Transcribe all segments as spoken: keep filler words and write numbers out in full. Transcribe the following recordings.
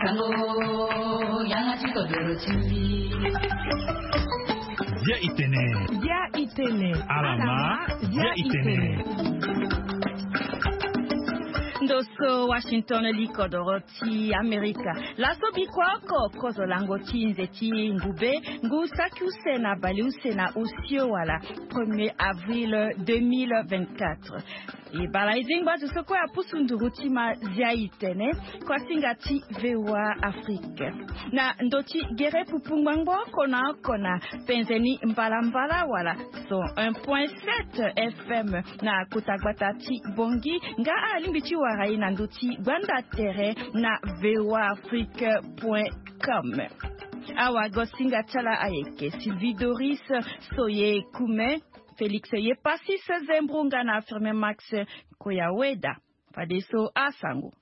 Sango, yanga ti kodoro ti mbi. Bia itene. Bia itene. Alama, bia itene. Ndo so Washington, li kodoro ti Amerika. Laso bikua oko kozo lango ti nze ti ngube, ngu saki use na bale use na osio wala premier avril deux mille vingt-quatre. E bala e zingba zo so kue apusu nduru ti ma zia itene, kuasinga ti V O A Afrique. Na ndo ti gere pupu ngbangbo oko na oko na penzeni mbalambala wala cent un point sept F M na kota gbata ti Bongi, nga alingbi ti wara e na ndo ti gbanda tere na V O A Afrique point com. Awagosinga ti ala ayeke Sylvie Doris Soye Kume, Félix Yepasis Zembrunga na Firmin Max Koyaweda. Fadeso asango.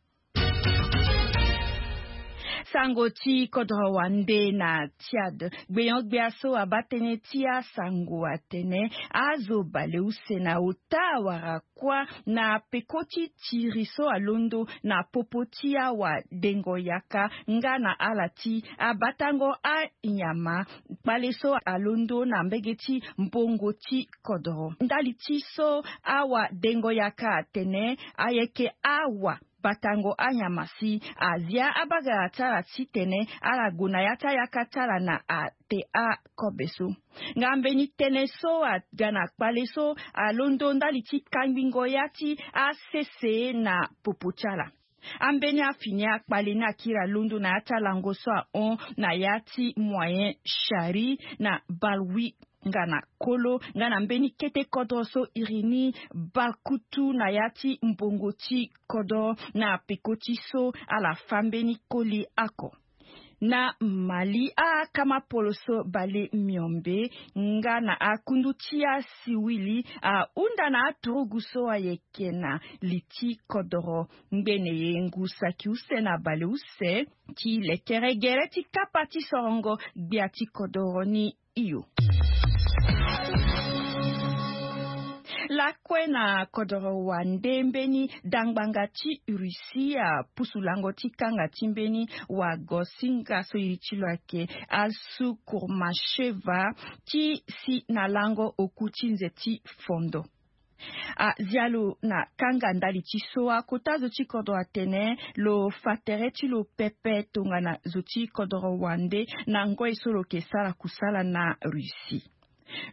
Sango ti kodro wande na Tchad. Gbenyo-gbia so abaa tënë ti asango atene azo bale use na ota wara kuâ na peko ti tiri so alondo na popo ti awadengo yaka nga na ala ti abatango anyama kpale so alondo na mbege ti mbongo ti kodro. Ndali ti so awadengo yaka atene ayeke awa batango anyama si azia abagara ti ala titene ala gue na ya ti ayaka ti ala na ate akobe so. Nga mbeni tënë so aga na kpale so alondo ndali ti kangbingo ya ti asese na popo ti ala. Ambeni afini akpale ni akiri alondo na ya ti alango so ahon na ya ti moyen Chari na Balwi nga na Kolo nga na mbeni kete kodro so iri ni Bakutu na ya ti mbongo ti kodro na peko ti so ala fâ mbeni koli oko. Na Mali, akama poloso bale miombe nga na akundu ti asiwili ahunda na aturugu so ayeke na li ti kodoro ngbene ye ngu saki use na bale use ti lekere gere ti kapa ti sorongo gbia ti kodoro ni. Iyo. Lakue na kodoro wande mbeni dangbanga ti Russie apusu lango ti kanga ti mbeni wagosinga so iri ti lo ayeke Alsu Kurmasheva ti si na lango oku ti nze ti fondo. Azia lo na kanga ndali ti so akota zo ti kodro atene lo fa tere ti lo pepe tongana zo ti kodro wande na ngoi so lo yeke sara kusala na Russie.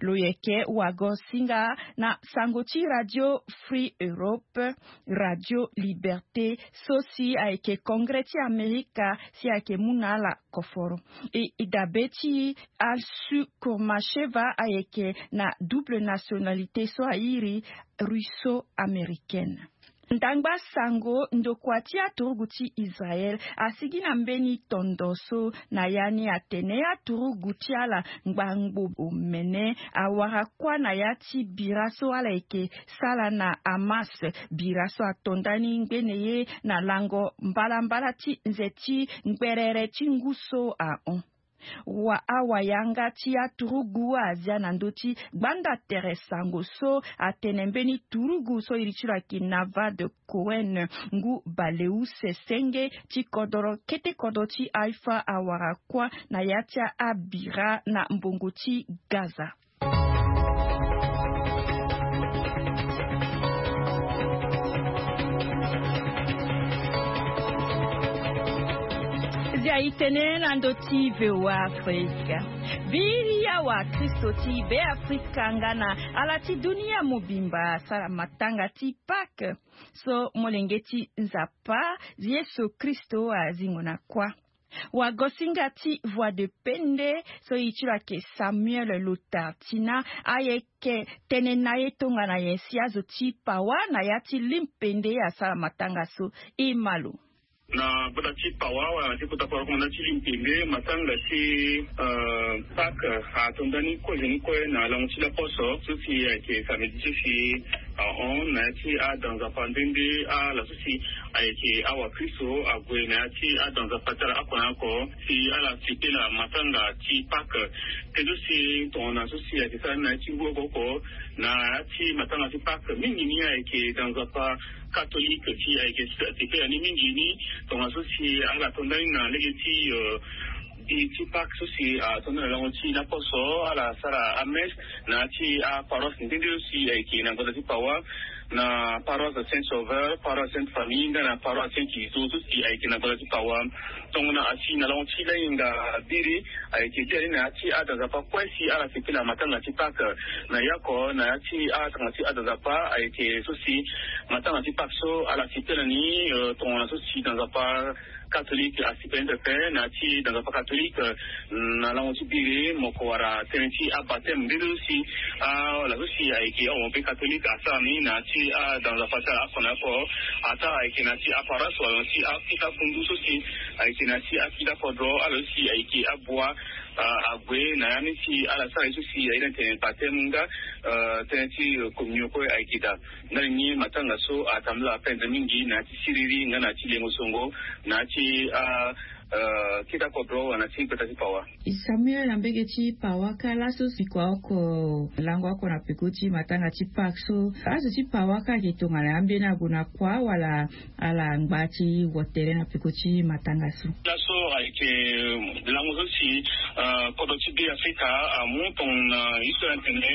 Lo yeke wagosinga na sango ti Radio Free Europe, Radio Liberté, so si ayeke Congrès ti Amerika si ayeke mu na ala koforo. E, e dabe ti Alsu Kurmasheva ayeke na double nationalité so airi russo-américaine. Ndangba sango ndokua ti aturugu ti Israël asigi na mbeni tondo so na ya ni atene aturugu ti ala ngbangbo omene awara kuâ na ya ti bira so ala yeke sala na Hamas. Bira so ato ndani ngbene ye na lango mbalambala ti nze ti ngberere ti ngu so ahon. Wa, awayanga ti aturugu azia na ndö ti gbanda tere sango so atene mbeni turugu so iri ti lo ayeke Navad Cohen ngu baleuse senge ti kodoro kete kodoro ti Haïfa awara kuâ na ya ti abira na mbongo ti Gaza. Zia itene na ndö ti V O A Afrika. Viri awa Kristo ti Be Afrika nga na ala ti dunia mobimba asara matanga ti Pâques so molenge ti Nzapa Yesu Kristo azingo na kuâ. Wagosinga ti Voix de Pende so iri ti lo ayeke Samuel Lotartina ayeke tene na ye tongana nyen si azo ti pawa na ya ti limpende asara matanga so. E ma lo. Na gbata ti pawa wala na ti kota kua kua na ti limpende matanga ti, euh, Pâques ato ndani kozo ni kue na lango ti laposo so si ayeke samedi so si Ahon na ya ti ada nzapa nde nde ala so si ayeke awa kristo ague na ya ti ada nzapa ti ala oko na oko si ala sepela matanga ti pake. Te so si tongana so si ayeke sara ni na ya ti ngu oko oko na ya ti matanga ti pake mingi ni ayeke da nzapa katolike ti ayeke sepela ni mingi ni. Tongana so si ala to ndani na lege ti bi ti pake so si ato ndani na lango ti laposo ala sara amesse na ya ti aparoise nde nde so si ayeke na ngonda ti pawa, na paroisse saint sauveur, paroisse sainte famille nga na paroisse saint iso so si ayeke na ngonda ti pawa. Tongana asi na lango ti lahinga biri ayeke bia ni na ya ti ada nzapa kue si ala sepela matanga ti pake. Na yako na ya ti atanga ti ada nzapa ayeke so si matanga ti pake so ala sepela ni tongana so si da nzapa katolike asi pepe na ti da nzapa katolike. Na lango ti biri moko wara tënë ti abateme mbeni so si ala so si ayeke awa mpe katolike asara ni na ti ada nzapa ti ala oko na oko. Ata ayeke na ti aparoise wala na ti akita kundu so si ayeke na ti akita kodro ala so si ayeke abua ague na ya ni si ala sara ye so si aye na tene bateme nga tënë ti communion kue ayeke daa. Ndali ni matanga so atambula penze mingi na ya ti siriri nga na ya ti lengo songo na ya ti kita kodro wala na ti gbata ti pawa. Samuel na mbege ti pawa kâ laso si kua oko lango oko na peko ti matanga ti pake so azo ti pawa kâ ayeke tongana ambeni ague na kua wala ala ngba ti wo tere na peko ti matanga so. Laso ayeke lango so si kodro ti be afrika amu tongana histoire atene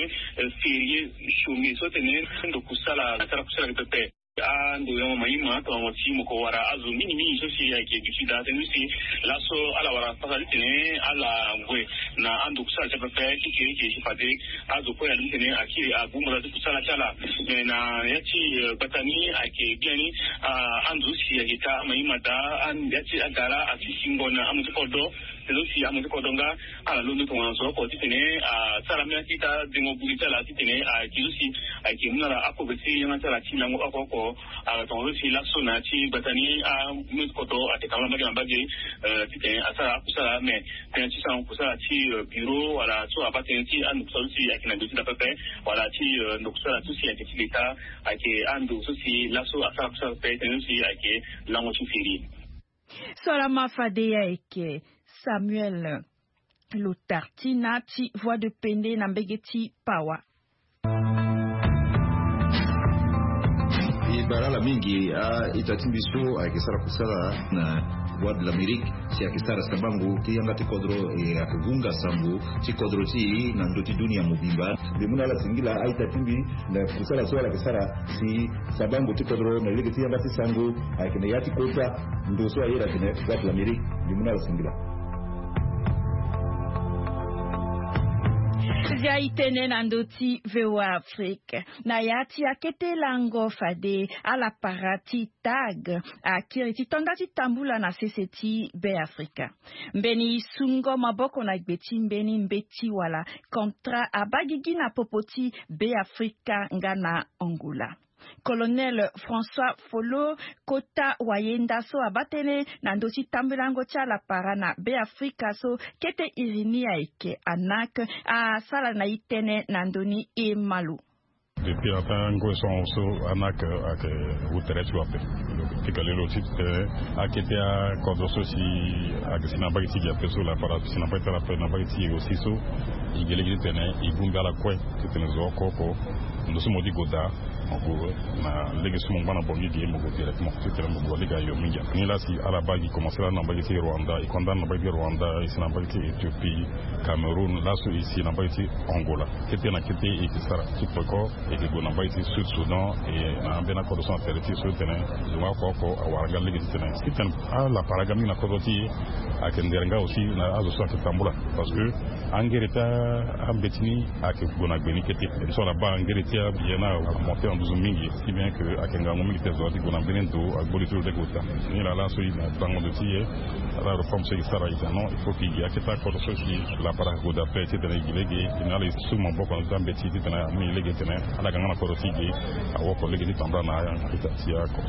ferie chome so tene ndo kusala asara kusala pepe. Ando yango maima tongana ti moko wara azo mingi mingi so si ayeke du sud atene so si laso ala wara pasa ti tene ala gue na ando kusala ti apepe ti kiri kiri ti fade azo kue alobi tene akiri agumbala ti kusala ti ala. Me na ya ti gbata ni ayeke biani ando so si ayeke ta maima daa ya ti agara asi singo na amu ti kodro. Te so si amu ti kodro nga ala londo tongana zo oko titene asara mbeni akita dengo buri ti ala titene ayeke so si ayeke mu na ala akogbe ti yanga ti ala ti lango oko oko. Ala tongana so si laso na ya ti gbata ni amu ti kodro ayeke tambula mbage na mbage titene asara akusala me tënë ti sara kusala ti bureau wala so abaa tënë ti andokusala so si ayeke na gbe ti da pepe wala ti ndokusala so si ayeke ti leta ayeke ando so si laso asara kusala pepe tënë so si ayeke lango ti firi. So ala ma fade ye ayeke Samuel Lotartina ti Voix de Pende na mbege ti Pawa. E bara ala mingi a-ita ti mbi so ayeke sara kusala na Voix de l'Amérique si ayeke sara sabango ti yanga ti kodro e ayeke hunga sango ti kodro ti e na ndö ti dunia mobimba. Mbi mu na ala singila a-ita ti mbi na kusala so ala yeke sara si sabango ti kodro na lege ti yanga ti sango ayeke na ya ti kota ndo so aye na tene Voix de l'Amérique. Mbi mu na ala singila. Zia e tene na ndö ti V O A Afrique na ya ti akete lango fade ala para ti tag akiri ti tonda ti tambula na sese ti Be Afrika. Mbeni sungo maboko na gbe ti mbeni mbeti wala kontra abaa gigi na popo ti Be Afrika nga na Angola. Colonel François Folo kota wayenda so abaa tënë na ndö ti tambulango ti ala para na Be Afrika so kete iri ni ayeke ANAC asara na e tënë na ndö ni e malo. Depuis ata ngoi so ahon so ANAC ayeke wu tere ti lo ape. Ti kale lo ti tene akete akodro so si ayeke si na mbage ti gi ape so lapara si na mbage ti ala ape na mbage ti e aussi so e gi lege ti tene e gumbi ala kue ti tene zo oko oko ndo so mo di go daa mo gue na lege so mo ngba na bongi ge mo gue directement ti tene mo gue lege ayo mingi ape ni laa si ala baa gi commencer laa na mbage ti rwanda e kue nda na mbage ti rwanda e si na mbage ti éthiopie cameroun laso e si na mbage ti angola kete na kete e ke sara ti peko e ke gue na mbage ti sud soudan e na ambeni akodro so na tere ti e so ti tene zo nga oko oko awara nga lege ti tene ti tene ala para ga mingi na kodro ti e ayeke ndere nga aussi na azo so ayeke tambula parce que angere ti ambeti ni ayeke gue na gbe ni kete. So ala baa angere ti aye ni amonte na nduzu mingi si bien ke ayeke ngangu mingi te zo ti gue na mbeni ndo agbo li ti lo lege ota. Ni laa laso e na bango ndo ti e ala réforme so e sara e tene non il faut ke e gi akete akodro so si lapara gue daa pe titene e gi lege e na ala e su maboko na ndo ti ambeti titene amu e lege titene ala ga nga na kodro ti e gi awoko lege ti tambula na ita ti ako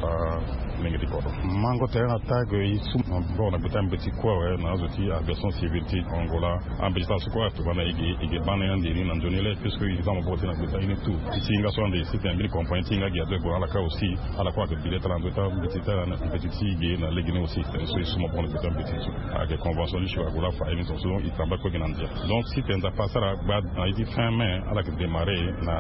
alenge ti kodro. Mango tere na tag e su maboko na gbe ti ambeti kue awe na azo ti aviation civile ti angola. Ambeti ti ala so kue atuba na e gi e gi baa na e ande ni na nzoni le puisque e za maboko ti e na gbe ti ala ni tout. Ti hinga so ande si tene mbeni compagnie ti hinga gi azo e gue na ala kâ aussi. Ala kue ayeke bi le ti ala na ndo ti ala mbeti ti ala na mbeti ti e ge na lege ni aussi. Tene so e su maboko na gbeta mbeti so ayeke convention ni si ague la fa aye ni so so e tamba kue gi na ndia. Donc si tene nzapa asara gba na ye ti fin mai ala yeke démarrer na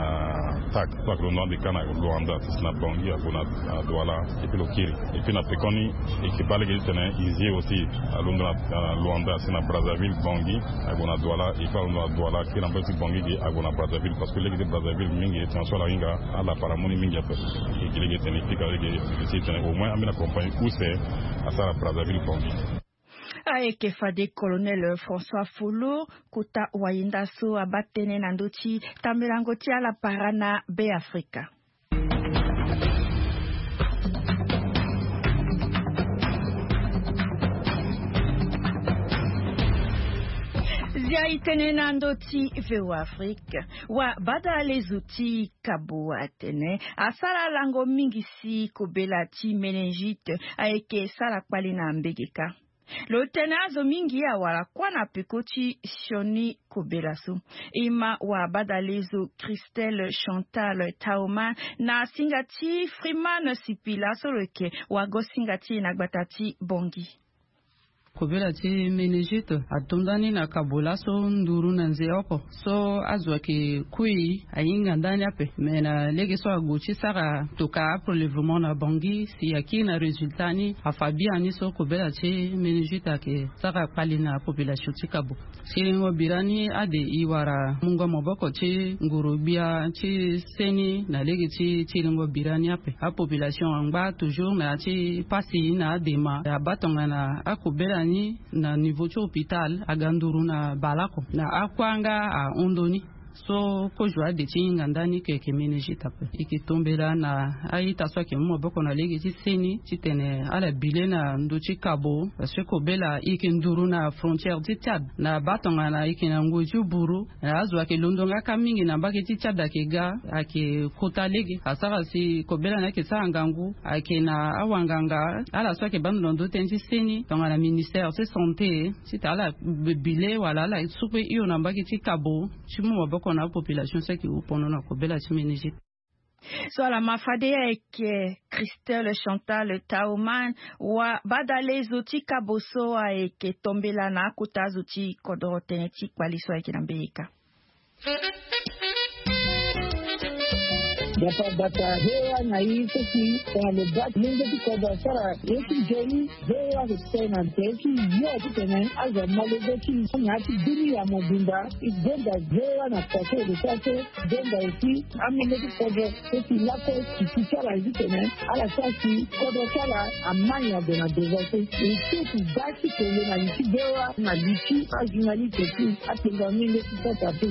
Tak so ayeke londo ande kâ na Luanda ti si na Bangui ague na Douala. Et puis lo kiri et puis na pekoni e yeke baa lege ti tene e zi aussi alondo na Luanda si na Brazzaville Bangui ague na Douala et puis alondo na Douala kiri na mbeti ti Bangui ge ague na Brazzaville parce que lege ti Brazzaville mingi e tena so ala hinga ala para mu ni mingi ape. E gi lege ti tene e pika lege ti tene au moins ambeni compagnie use asara Brazzaville Bangui. Ayeke fade colonel François Folo kota wayenda so abaa tënë na ndö ti tambelango ti ala para na Be Afrika. Zia e tene na ndö ti V O A Afrique. Wa badalezo ti kabo atene asara lango mingi si kobela ti méningite ayeke sara kpale na mbege kâ. Lo tene azo mingi awara kuâ na peko ti sioni kobela so. E ma wa badalezo Christelle Chantal Taoma na singa ti Freeman Sipila so lo yeke wago singa ti e na gbata ti Bangui. Kobela ti méningite ato ndani na kabo laso nduru na nze oko so azo ayeke kui ahinga ndani ape. Me na lege so ague ti sara tokua aprelèvement na Bangui si akiri na résultat ni afa biani so kobela ti méningite ayeke sara kpale na population ti kabo. Siringo bira ni ade e wara mungo maboko ti nguru-gbia ti seni na lege ti siringo bira ni ape. Apopulation angba toujours na ya ti pasi na adema abaa tongana akobela ni na niveau ti hôpital aga nduru na baleoko na akua nga ahon ndoni. So kozo ade ti hinga ndani ke yeke méningite ape. E yeke tombela na a-ita so ayeke mu maboko na lege ti seni titene ala bi le na ndö ti kabo parce que kobela e yeke nduru na frontière ti Tchad na baa tongana e yeke na ngoi ti buru. Azo ayeke londo nga kâ mingi na mbage ti Tchad ayeke ga ayeke kota lege asara si kobela ni ayeke sara ngangu ayeke na awanganga ala so ayeke baa ndo na ndö tënë ti seni tongana ministère ti santé titene ala bi le wala ala su kue hio na mbage ti kabo ti mu maboko na apopulation so ayeke wu pono na kobela ti méningite. So ala ma fade ayeke Christelle Chantal Taoman wa badalezo ti kabo so ayeke tombela na akota zo ti kodro tënë ti kpali so ayeke na mbeyeka. Bata bata hewa na i seki tongana lo baa ti lenge ti kodro asara ye ti nzoni. Ve wa ke tene na nze ti yo titene azo amolenge ti na ya ti bini ya mobimba. E gonda ve wa na kua so e ke sara so. Gonda aussi amolenge ti kodro so si lakue si ti ti ala titene ala sara si kodro ti ala ama nyen ade na deza so. E so si baa ti kele na li ti ve wa na li ti ajournaliste ti atenga molenge ti sasa pe.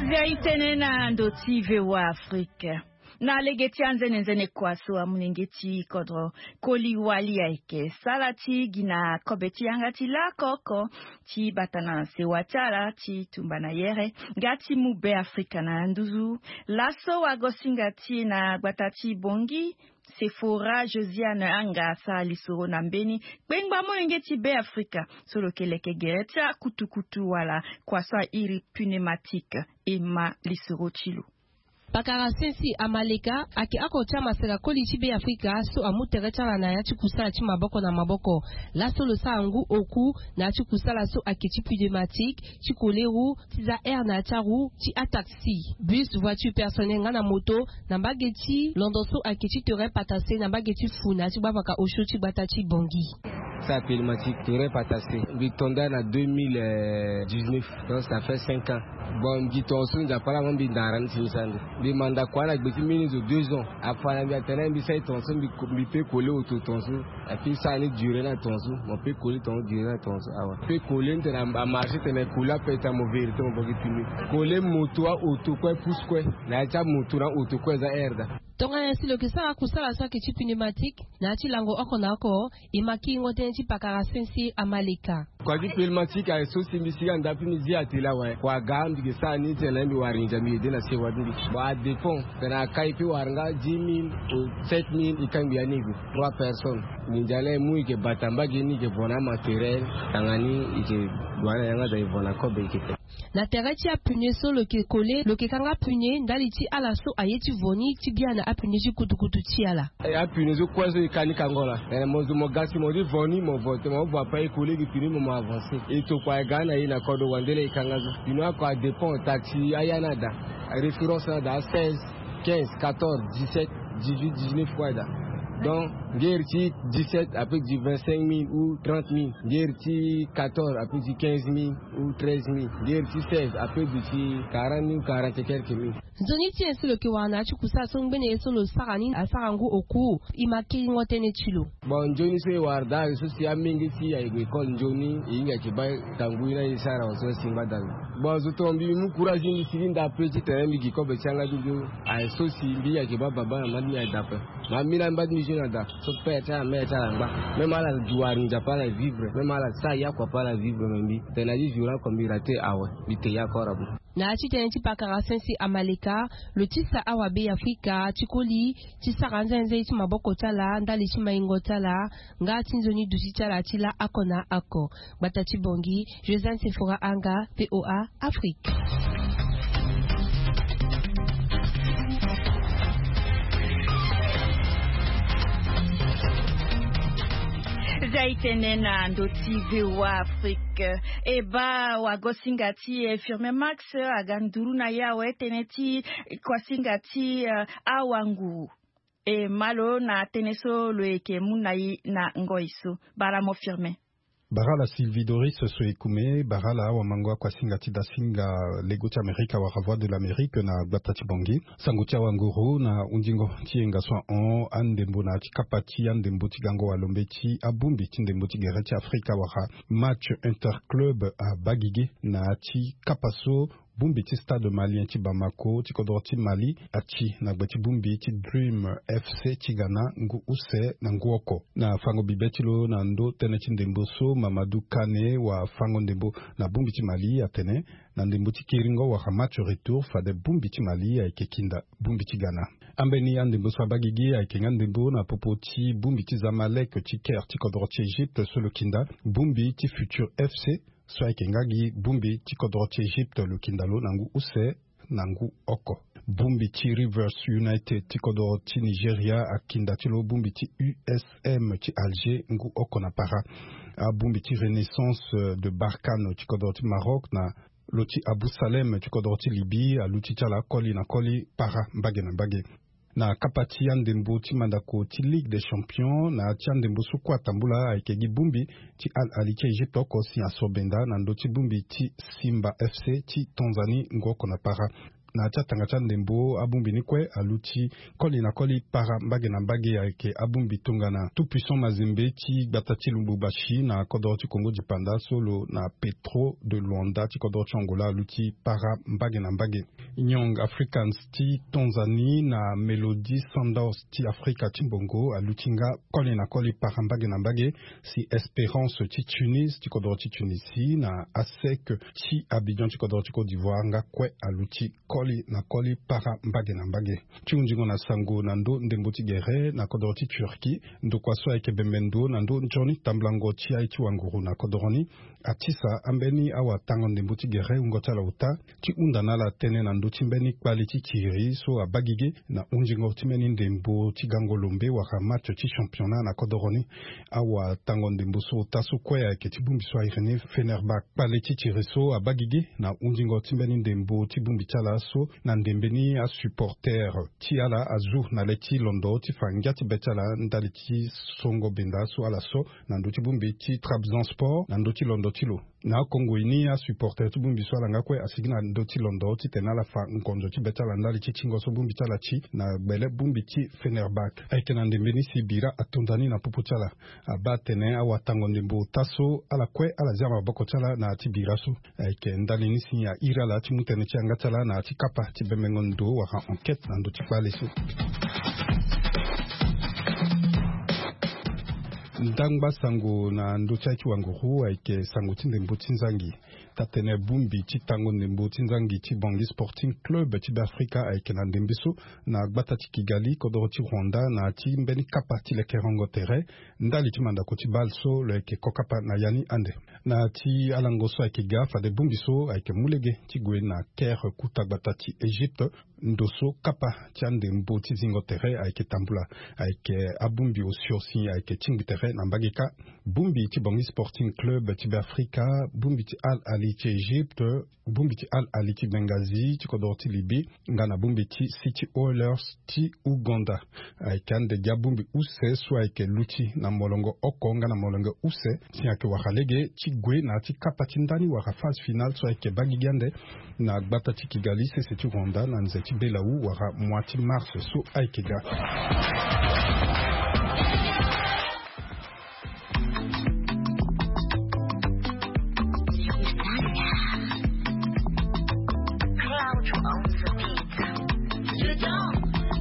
Zia e tene na ndo ti V O A Afrique. Na lege ti anzene nzene kua so amolenge ti kodro koli wali ayeke sara ti gi na kobe ti yanga ti lako oko ti bata na sewa ti ala ti tumba na yere nga ti mu Be Afrika na nduzu. Laso wagosinga ti e na gbata ti Bongi, Sephora Josiane Anga asara lisoro na mbeni kpengba molenge ti Be Afrika so lo yeke leke gere ti akutukutu wala kua so airi pneumatique. E ma lisoro ti lo. Pakara Sensi Amaleka ayeke oko ti amaseka koli ti Be Afrika so amu tere ti ala na ya ti kusala ti maboko na maboko. Laso lo sara ngu oku na ya ti kusala so ayeke ti pneumatique, ti koleru, ti za air na ya ti aru, ti ataxi, bus, voiture personnelle nga na moto, na mbage ti londo so ayeke ti terrain patase na mbage ti fu na ya ti gbavaka osio ti gbata ti Bongi. Sa pneumatique terrain patase mbi tonda na deux mille dix-neuf. Donc ça fait cinq ans. Bon, mbi tonga so Nzapa laa mo mbi ndara ni si mbi sara ndo. Mbi manda kua na gbe ti mbeni zo deux ans. Afa na mbi atene mbi sara e tonga so mbi pe kole oto tonga so. Api sara ni duré na tonga so. Mo pe kole tonga so duré na tonga so awa. Pe kole ni tene amarché tene kole ape tene mo vérité mo boki pimi. Kole moto aoto kue pousse kue. Na ya ti amoto na aoto kue eza air daa. Tongana nyen si lo yeke sara kusala so ayeke ti pneumatique na ya ti lango oko na oko? E ma kiringo tënë ti pakara Sensi Amaleka. Kua ti pneumatique aye so si mbi sigi anda ape mbi zi atelier awe. Kua aga mbi yeke sara ni tene mbi wara nginza mbi ede na sewa ti mbi. Bon, adépend tene akai pe wara nga dix mille ou sept mille, e kangbi ya ni e gue trois personnes. Nginza laa e mu e yeke bata mbage ni e yeke vo na amatériel. Tanga ni e yeke gue na yanga daa e vo na kobe e yeke te. Na tere ti apune so lo yeke kole, lo yeke kanga apune ndali ti ala so aye ti vo ni ti biana apune ti kutukutu ti ala. Apune so kue so e ka ni kango laa, mo zo mo ga si mo ti vo ni, mo vo tene mo vo ape, e kole gi pune mo mo avanse. E tokua e ga na e na kodro wande laa e kanga so. Pune oko adépend taxi aya ni ada, référence ni ada a seize, quinze, quatorze, dix-sept, dix-huit, dix-neuf kue ada. Donc ngeri ti dix-sept ape gi vingt-cinq mille ou trente mille, ngeri ti quatorze ape gi quinze mille ou treize mille, ngeri ti seize ape gi ti quarante mille ou quarante et quelques mille. Nzoni ti nyen so lo yeke wara na ya ti kusala so ngbene ye so lo sara ni asara ngu oku? E ma kiringo tënë ti lo. Bon, nzoni so e wara daa aye so si amenge ti e aye gue école nzoni, e hinga yeke baa kangui ni aye sara awe so si ngbada lo. Bon, zo tonga mbi mu courage ni, mbi sigi ndape ti tene mbi gi kobe ti yanga ti nzoni. Aye so si mbi hinga yeke baa baba na mama ti mbi aye daa ape. Ma mbi laa mbi baa ti mbi zo na daa so père ti ala, mère ti ala angba. Même ala duwari nzapa ala vivre, même ala sara yaku ape ala vivre, me mbi tene na ti jour oko mbi raté awe, mbi te yaku ora bo. Na ya ti tënë ti pakara sensi amaleka, lo tisa awabe ya Afrika ti koli ti sara nzenze ti maboko ti ala ndali ti maingo ti ala, nga ti nzoni duti ti ala ti laa oko na oko. Gbata ti Bangui, Josiane Sephora Anga, VOA Afrique. Za itene na ndo ti VOA Afrique. E baa wagosinga ti, eh, Firmin Max aga nduru na ye awe tënë ti kuasinga ti, eh, awanguru. E ma lo na tënë so lo yeke mu na e na ngoi so. Bara mo Firmin. Bara ala Sylvie Doris so e kume, bara ala awamango akuasinga ti dasinga lego ti Amerika wala Voix de l'Amérique na gbata ti Bangui. Sango ti awanguru na hundingo ti yenga so ahon andembo na ya ti kapa ti andembo ti gango walombe ti abongbi ti ndembo ti gere ti Afrika wala match interclub abaa gigi na ya ti kapa so bongbi ti Stade Malien ti Bamako ti kodro ti Mali ati na gbe ti bongbi ti Dream FC ti Ghana ngu use na ngu oko. Na fango bibe ti lo na ndo tënë ti ndembo so, Mamadou Kane wafango ndembo na bongbi ti Mali atene na ndembo ti kiringo wala match retour fade bongbi ti Mali ayeke kinda bongbi ti Ghana. Ambeni andembo so abaa gigi ayeke nga ndembo na popo ti bongbi ti Zamalek ti Caire ti kodro ti Égypte so lo kinda bongbi ti Futur FC so ayeke nga gi bongbi ti kodro ti Égypte lo kinda lo na ngu use na ngu oko. Bongbi ti Rivers United ti kodro ti Nigeria akinda ti lo bongbi ti U S M ti Alger ngu oko na para. Abongbi ti Renaissance, euh, de Barkhane ti kodro ti Maroc na lo ti Abou Salem ti kodro ti Libye aluti ti ala koli na koli para mbage na mbage. Na kapa ti andembo ti mandako ti Ligue des Champions, na ya ti andembo so kue atambula ayeke gi bongbi ti Al Ahly ti Égypte oko si asobenda na ndö ti bongbi ti Simba F C ti Tanzanie ngu oko na para. Na ya ti atanga ti andembo, abongbi ni kue aluti koli na koli para mbage na mbage ayeke abongbi tongana Tout Puissant Mazembe ti gbata ti Lubumbashi na kodro ti Congo Dipanda so lo na Petro de Luanda ti kodro ti Angola aluti para mbage na mbage. Young Africans ti Tanzanie na Mamelodi Sundowns ti Afrika ti mbongo aluti nga koli na koli para mbage na mbage, si Espérance ti Tunis ti kodro ti Tunisie na ASEC ti Abidjan ti kodro ti Côte d'Ivoire nga kue aluti koli na koli para mbage na mbage. Ti hunzingo na sango na ndö ndembo ti gere na kodro ti Turquie, ndokua so ayeke bembe ndo na ndö nzoni tambulango ti aye ti wanguru na kodro ni, atisa ambeni awatango ndembo ti gere wungo ti ala ota ti hunda na ala tënë na ndö ti mbeni kpale ti kiri so abaa gigi na hunzingo ti mbeni ndembo ti gango lombe wala match ti championnat na kodoro ni. Awatango ndembo so ota so kue ayeke ti bongbi so a iri ni Fenerbahçe. Kpale ti kiri so abaa gigi na hunzingo ti mbeni ndembo ti bongbi ti ala so na ndembe ni asupporter ti ala azu na le ti londo ti fa ngia ti be ti ala ndali ti songo benda so ala so na ndö ti bongbi ti Trabzonspor na ndö ti londo ti lo. Na akongoi ni asupporter ti bongbi so ala nga kue asigi na ndö ti londo titene ala fa ngonzo ti be ti ala ndali ti tingo so bongbi ti ala ti na gbele bongbi ti Fenerbahçe. Ayeke na ndembe ni si bira atonda ni na popo ti ala. Abaa atene awatango ndembo ota so ala kue ala zia maboko ti ala na ya ti bira so. Ayeke ndali ni si a iri ala ti mu tënë ti yanga ti ala na ya ti kapa ti bembengo ndo wala enquête na ndö ti kpale so. Ndangba sango na ndö ti aye ti wanguru ayeke sango ti ndembo ti nzangi. Taa-tene bongbi ti tango ndembo ti nzangi ti Bangui Sporting Club ti Beafrika ayeke na ndembe so na gbata ti Kigali, kodoro ti Rwanda, na ya ti mbeni kapa ti lekerengo tere ndali ti mandako ti bale so lo yeke kokapa na ya ni ande. Na ya ti alango so ayeke ga, fade bongbi so ayeke mu lege ti gue na Caire, kota gbata ti Egypte, ndo so kapa ti andembo ti zingo tere ayeke tambula. Ayeke abongbi osio si ayeke tingbi tere na mbage kâ. Bongbi ti Bangui Sporting Club ti Beafrika, bongbi ti Al Ahly ti Egypte, bongbi ti Al Ahly ti Benghazi ti kodoro ti Libye, nga na bongbi ti City Oilers ti Ouganda. Ayeke ande gi abongbi use so ayeke luti na molongo oko nga na molongo use si ayeke wara lege ti gue na ya ti kapa ti ndani wala phase finale so ayeke baa gigi ande na gbata ti Kigali, sese ti Rwanda, na nze ti Belau wala mois ti mars so ayeke ga. Dedans,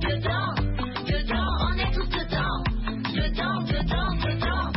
dedans, dedans, on est tous dedans. Dedans, dedans, dedans,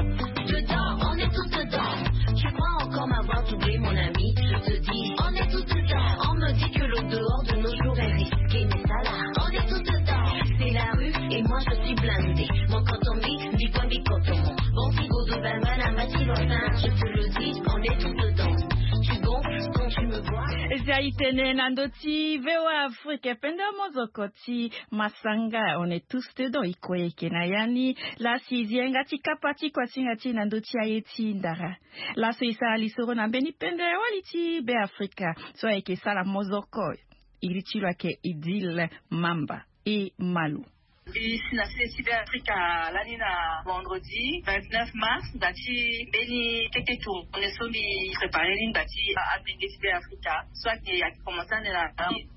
dedans, on est tous dedans. Tu crois encore m'avoir doublé, mon ami? Je te dis, on est tous dedans. On me dit que le dehors de nos jours est risqué, mais ça là, on est tous dedans. C'est la rue et moi je suis blindé. Mon canton mix, dit pas dit canton. Bon, si Godot Bangana m'a dit, je te le dis, on est tous dedans. Tu gonfles quand tu me vois. Eza itene na ndo ti V O A Afrique, pende mozoko ti masanga, on est tous dedans, iko yeke na ya ni. Lasi zi yanga ti kapa ti kuasinga ti na ndo ti aye ti ndara. Laso e sara lisoro na mbeni pende wali ti Beafrika so ayeke sara mozoko. Iri ti lo ayeke Idil Mamba e Malo. Mbi si na sese ti Beafrika lani na vendredi vingt-neuf mars, nda ti mbeni kete tournée so mbi préparé ni nda ti amenge ti Beafrika so ayeke, ayeke commencé ande na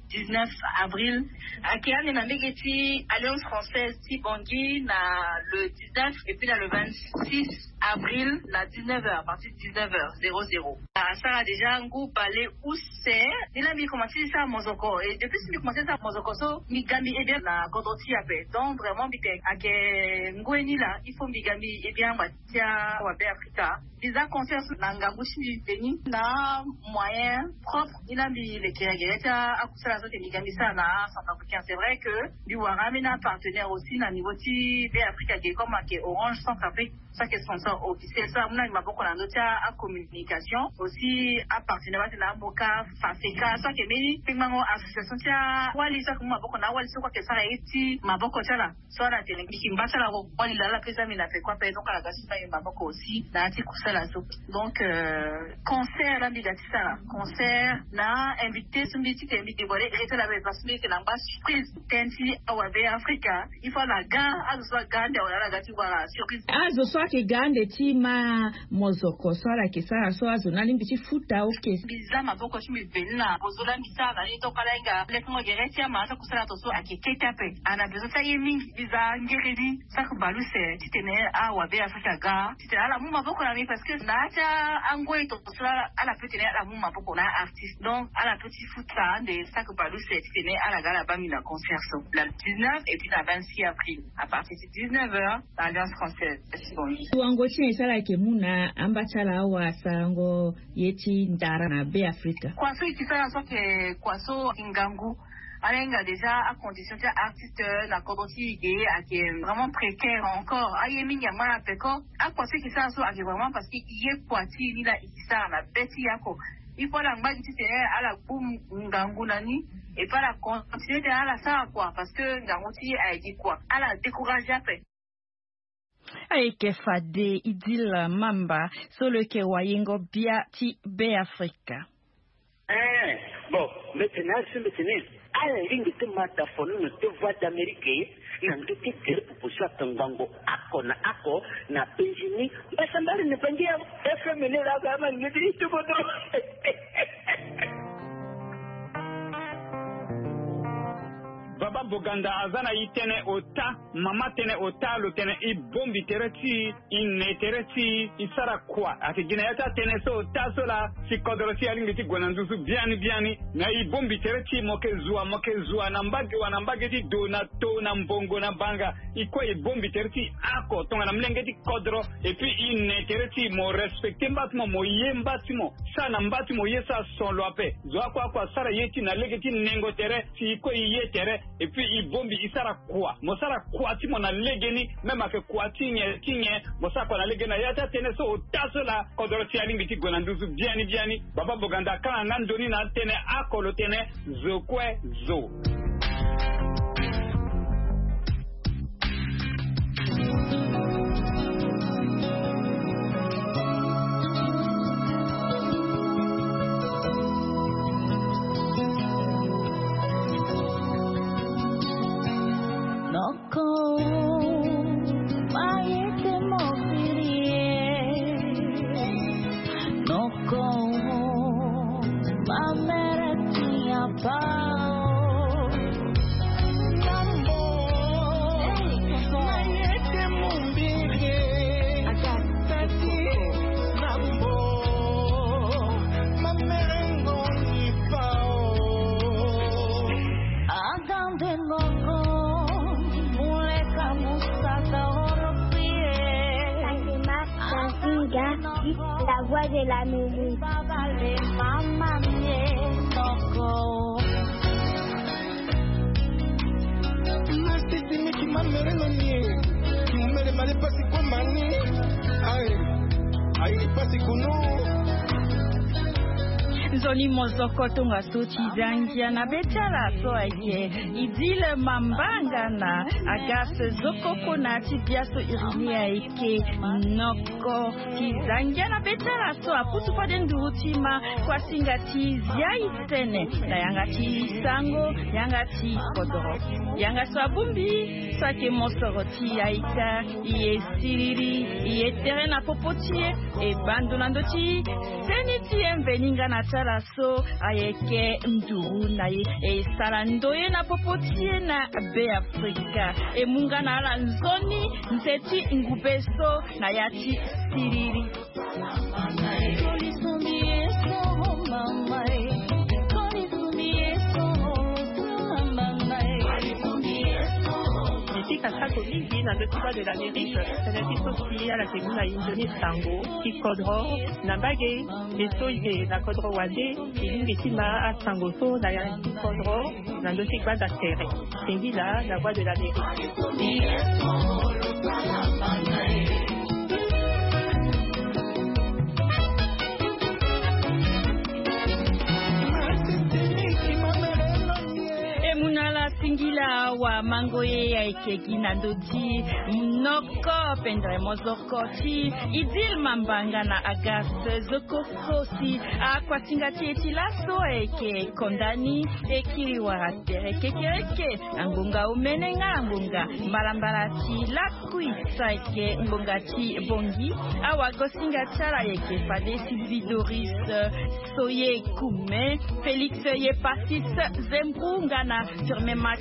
dix-neuf avril. Ayeke ande na mbege ti Alliance Française ti Bangui na le dix-neuf et puis na le vingt-six avril na dix-neuf heures, à partir de dix-neuf heures zéro zéro. Asara déjà ngu bale use. Ni la mbi commencé ti sara mozoko, et depuis si mbi commencé ti sara mozoko so, mbi ga mbi e bien na kodro ti e ape. Donc vraiment mbi tene ayeke ngoi ni la, il faut mbi ga mbi e bien angba ti awa Beafrika. Mbi za concert so na ngangu ti mbi veni na moyen propre. Ni la mbi leke na gere ti akusala so ayeke mbi ga mbi sara na Centrafricain. C'est vrai que mbi wara ambeni apartenaire aussi na niveau ti Beafrika ge, comme ayeke Orange Centrafrique so ayeke sponsor officiel, so amu na mbi maboko na ndö ti acommunication. Aussi apartenaire so atene Amoka, Faseka, so ayeke mbeni kpengbango association ti awali so ayeke mu maboko na awali so kue ayeke sara ye ti maboko ti ala. So ala tene mbi yeke ngba ti ala, wali laa ala pe za mbi na peko ape. Donc ala ga ti za mbi maboko aussi na ya ti kusala so. Donc euh, concert la mbi ga ti sara, concert na invité so mbi ti tene mbi dévoilé ere ti ala ape, parce que mbi yeke na ngba surprise. Tënë ti awa Beafrika, il faut ala ga, azo so aga ande awe ala ga ti wara surprise. Azo so ayeke ga ande ti ma mozoko so ala yeke sara so, azo na lingbi ti futa oke. Mbi za maboko ti mbi veni na bozo la mbi sara na ni, donc ala hinga lekengo gere ti ama so kusala to so ayeke kete ape. Ana besoin ti aye mingi. Mbi za ngere ni, saki bale use titene awa Beafrika aga titene ala mu maboko na mbi, parce que na ya ti angoi to so la ala pe tene ala mu maboko na artiste. Donc ala pe ti futa ande saki bale use titene ala ga ala baa mbi na concert so, na dix-neuf et puis na vingt-six avril, à partir de dix-neuf heures, na Alliance Française. Merci, bon. Wango ti nyen so ala yeke mu na amba ti ala awa sarango ye ti ndara na Beafrika? Kua so e yeke sara so ayeke kua so ngangu. Ala hinga déjà acondition ti aartiste na kodro ti e ge ayeke vraiment précaire encore. Aye mingi angba na peko. Akua so e yeke sara so ayeke vraiment parce que e ye kua ti e ni la e yeke sara na be ti e oko. Il faut ala ngba gi titene ala gbu ngangu na ni. Et puis ala continue titene ala sara kua, parce que ngangu ti e ayeke kua. Ala découragé ape. Ayeke fade Idil Mamba so lo yeke wayengo bia ti Beafrika. Eh, bon, mbi tene asi mbi tene ala lingbi ti ma da fono na deux Voix d'Amérique na ndö ti tere popo so atongbango oko na oko na penzi ni. Mbasambala ni bangi ya F M ni la ga ma ngeti ti kodro. Boganda aza na e tënë ota. Mama tënë ota lo tene e bongbi tere ti e, e ne tere ti e, e sara kua. Ayeke gi na ya ti atënë so ota so laa si kodoro ti e alingbi ti gue na nduzu biani biani. Me e bongbi tere ti e, mo yeke zua, mo yeke zua na mbage wa, na mbage ti do, na to, na mbongo, na banga. E kue e bongbi tere ti e oko tongana molenge ti kodro. Et puis e ne tere ti e, mo respecter mba ti mo, mo ye mba ti mo, sara na mba ti mo ye so ason lo ape. Zo oko oko asara ye ti e na lege ti nengo tere, si e kue e ye tere. Et puis e bongbi e sara kua, mo sara kua ti mo na legeni. Même ayeke kua ti nyen ti nyen, mo sara kua na legeni. Na ya ti atënë so ota so laa kodoro ti e alingbi ti gue na nduzu biani biani. Baba Boganda akanga nga ndo ni na atënë oko lo tene: zo kue zo. Noko, ma ye te mo firi e. Noko, ma mere ti a pa o. Nambo, ma ye te mo mbiri e. Tati, nambo, ma mere ngo ni pa o. Agande noko, muleka musaka oro pie. Fatima Kazinga, la voix de l'Amérique. Mama mie noko. Masisi miki mamereno nie. Kimumele male pasi kwa mani. Ai. Ai pasi kunu. Nzoni mozoko tongaso ti za ngia na be ti ala so ayeke Idil Mambanga na Agasse Zokoko na ti bia so iri ni ayeke Noko. Ti za ngia na be ti ala so apusu fade nduru ti ma kuasinga ti zia e tene na yanga ti sango, yanga ti kodoro. Yanga so abongbi so ayeke mosoro ti aita, e ye siriri, e ye tere na popo ti e, e bando na ndö ti seni ti e mveni nga na ti ala so ayeke nduru na e, e sara ndoye na popo ti e na Beafrika. E mu nga na ala nzoni nze ti ngube so na ya ti siriri. Mbi pika sako mingi na ndö ti Voix de l'Amérique, tënë ti so si ala yeke mu na e nzoni sango ti kodro na mbage. Mbi so e yeke na kodro wande, e lingbi ti ma asango so na ya ti kodro na ndö ti gbanda tere. Singila, la voix de l'Amérique. E mu na ala singila awa mango ye ayeke gi na ndö ti Noko, pendere mozoko ti Idil Mambanga na Agasse Zokoko si akuasinga ti e ti laso ayeke konda ni, e kiri wara tere kekereke na ngonga omene nga na ngonga mbalambala ti lakui so ayeke ngonga ti bongi. Awagosinga ti ala ayeke fade Sylvie Doris Soye Kume, Félix Yepasis Zembu nga na Firmin Max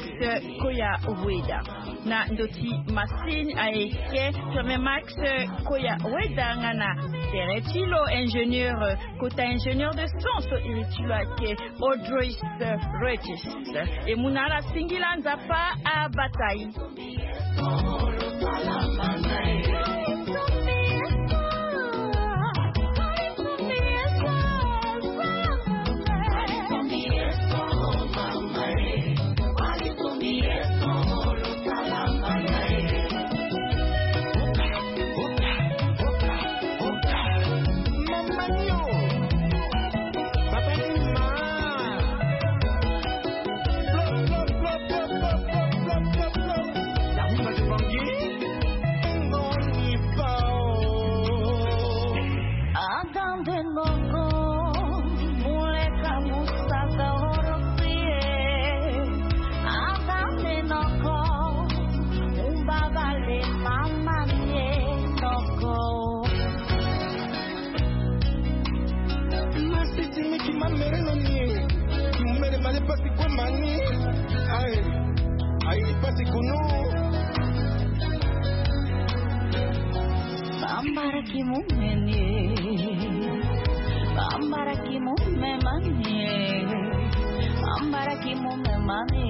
Koya Rueda. Na ndö ti masini ayeke Firmin Max Koya Rueda nga na tere ti lo ingénieur, kota ingénieur de son so iri ti lo ayeke Audrey Regis. E mu na ala singila, Nzapa abata e. Ki mu meni. Bambara ki mu me mani. Bambara ki mu me mani.